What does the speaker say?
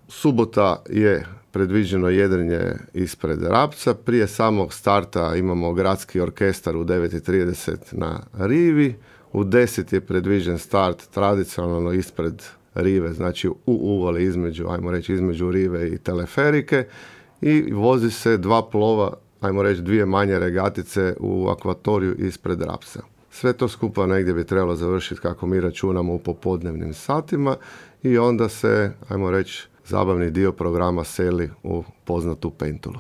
Subota je predviđeno jedrenje ispred Rapca. Prije samog starta imamo gradski orkestar u 9:30 na rivi. U 10 je predviđen start tradicionalno ispred rive, znači u uvali između rive i teleferike, i vozi se 2 plova, 2 manje regatice u akvatoriju ispred Rapca. Sve to skupa negdje bi trebalo završiti, kako mi računamo, u popodnevnim satima, i onda se, zabavni dio programa seli u poznatu Pentulu.